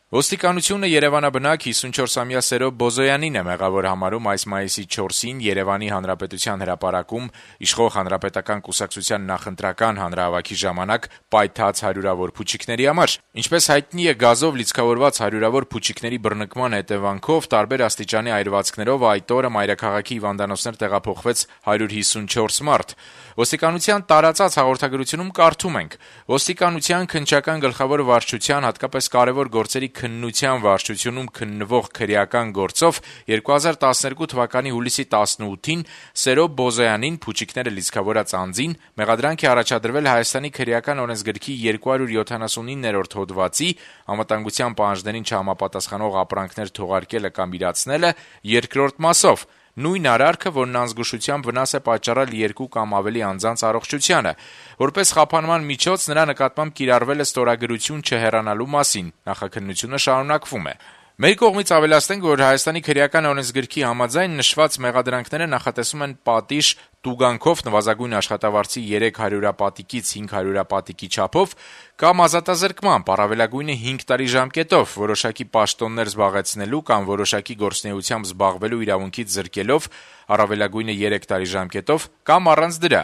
Ոստիկանությունը երևանաբնակ 54-ամյա Սերո Բոզոյանին է մեղավոր համարում այս մայիսի 4-ին Երևանի Հանրապետության հրապարակում իշխող Հանրապետական կուսակցության նախընտրական հանրահավաքի ժամանակ պայթած հարյուրավոր փուչիկների համար։ Ինչպես հայտնի է, գազով լիցքավորված հարյուրավոր փուչիկների բռնկման հետևանքով տարբեր աստիճանի այրվածքներով այդ օրը մայրաքաղաքի հիվանդանոցներ տեղափոխվեց 154 մարդ։ Ոստիկանության տարածած հաղորդագրությունում կարդում ենք. «Ոստիկանության քննչական գլխավոր վարչության, հատկապես կարևոր գործերի քննության վարչությունում քննվող քրեական գործով 2012 թվականի հուլիսի 18-ին Սերո Բոզոյանին, փուչիկները լիցքավորած անձին, մեղադրանք է առաջադրվել Հայաստանի քրեական օրենսգրքի 279-րդ հոդվածի անվտանգության պահանջներին չհամապատասխանող ապրանքներ թողարկելը կամ իրացնելը երկրորդ մասով։ Նույն արարքը, որն անզգուշությամբ վնաս է պատճառել 2 կամ ավելի անձանց առողջությանը։ Որպես խափանման միջոց նրա նկատմամբ կիրառվել է ստորագրություն չհեռանալու մասին»։ Նախաքննությունը շարունակվում է. «Մեր կողմից ավելացնենք, որ Հայաստանի քրեական օրենսգրքի համաձայն նշված մեղադրանքները նախատեսում են պատիժ տուգանքով նվազագույն աշխատավարձի 3 հարյուրապատիկից 5 հարյուրապատիկի չափով կամ ազատազրկմամբ առավելագույնը 5 տարի ժամկետով, որոշակի պաշտոններ զբաղեցնելու կամ որոշակի գործունեությամբ զբաղվելու իրավունքից զրկելով առավելագույնը 3 տարի ժամկետով կամ առանց դրա։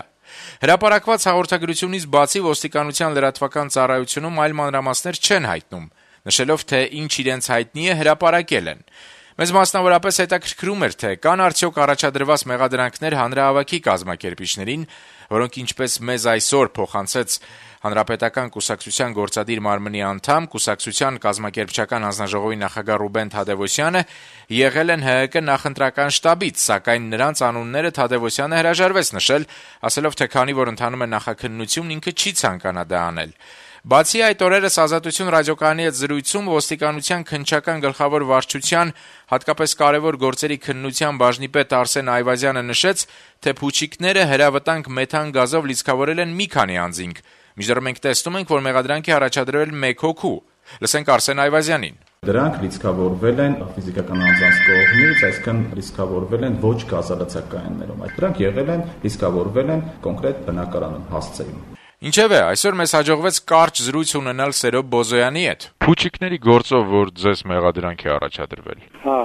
Հրապարակված հաղորդագրությունից բացի ոստիկանության լրատվական ծառայությունում այլ մանրամասներ չեն հայտնում, նշելով, թե ինչ իրենց հայտնի է, հրապարակել են։ Մեզ մասնավորապես հետաքրքրում էր, թե կան արդյոք առաջադրված մեղադրանքներ հանրահավաքի կազմակերպիչներին, որոնք ինչպես մեզ այսօր փոխանցեց Հանրապետական կուսակցության գործադիր մարմնի անդամ, կուսակցության կազմակերպչական հանձնաժողովի նախագահ Ռուբեն Թադևոսյանը, եղել են ՀՀԿ նախընտրական շտաբից, սակայն նրանց անունները Թադևոսյանը հրաժարվեց նշել, ասելով, թե քանի որ ընթանում է նախաքննություն, ինքը չի ցանկանա դա անել։ Բացի այդ, օրերս «Ազատություն» ռադիոկայանի հետ զրույցում ոստիկանության քննչական գլխավոր վարչության, հատկապես կարևոր գործերի քննության բաժնի պետ Արսեն Այվազյանը նշեց, թե փուչիկները հրավտանգ մեթան գազով լիցքավորել են մի քանի անձինք, մինչդեռ մենք տեսնում ենք, որ մեղադրանք է առաջադրվել 1 հոգու։ Լսենք Արսեն Այվազյանին. Դրանք լիցքավորվել են ֆիզիկական անձանց կողմից, այսինքն լիցքավորվել են ոչ գազալցակայաններում։ Դրանք լիցքավորվել են կոնկրետ բնակարանում, հասցեում։ Ինչևէ, այսօր մեզ հաջողվեց կարճ զրույց ունենալ Սերո Բոզոյանի հետ։ Փուչիկների գործով, որ ձեզ մեղադրանք է առաջադրվել։ Հա։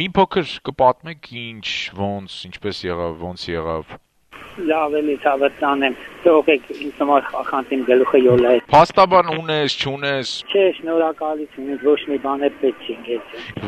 Մի փոքր կպատմեք ինչ, ոնց, ինչպես եղավ, ոնց եղավ։ Լավ էլի ցավտանեմ, թողեք ինձ համար խախանտին գլուխը յոլա է։ Փաստաբան ունես, չունես։ Չէ, շնորհակալություն, ոչ մի բան է պետք չի։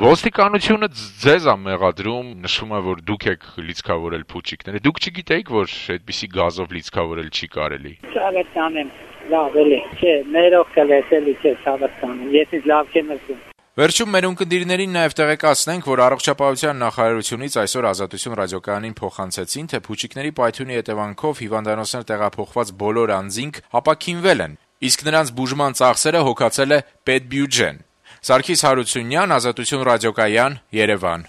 Ոստիկանությունը ձեզ է մեղադրում, նշում է, որ դուք եք լիցքավորել փուչիկները։ Դուք չգիտեիք, որ այդպիսի գազով լիցքավորել չի կարելի։ Ցավտանեմ, լավ էլի, չէ, ներող կլեսելի չէ, ցավտանեմ, ես ինձ լավ չեմ զգում։ Վերջում մեր ունկնդիրներին նաև տեղեկացնենք, որ առողջապահության նախարարությունից այսօր «Ազատություն» ռադիոկայանին փոխանցեցին, թե փուչիկների պայթյունի հետևանքով հիվանդանոցներ տեղափոխված բոլոր անձինք ապաքինվել են, իսկ նրանց բուժման ծախսերը հոգացել է պետբյուջեն։ Սարգիս Հարությունյան, «Ազատություն» ռադիոկայան, Երևան։